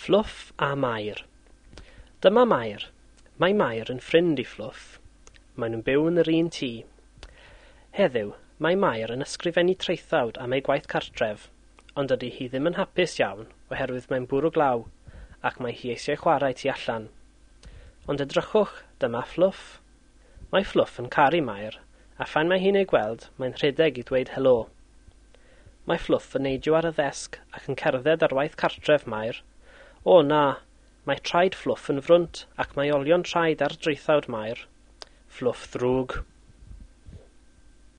Fflwff a Mair. Dyma Mair. Mae Mair yn ffrind i Fflwff. Maen nhw'n byw yn yr un tŷ. Heddiw, mae Mair yn ysgrifennu traethawd am ei gwaith cartref, ond dydy hi ddim yn hapus iawn oherwydd mae'n bwrw glaw ac mae hi eisiau chwarae tu allan. Ond edrychwch, dyma Fflwff. Mae Fflwff yn caru Mair, a phan mae hi'n ei gweld, mae'n rhedeg i ddweud helo. Mae Fflwff yn neidio ar y ddesg ac yn cerdded ar waith cartref Mair. O na, mae traed Fflwff yn frwnt ac mae olion traed ar draethawd Mair. Fflwff ddrwg.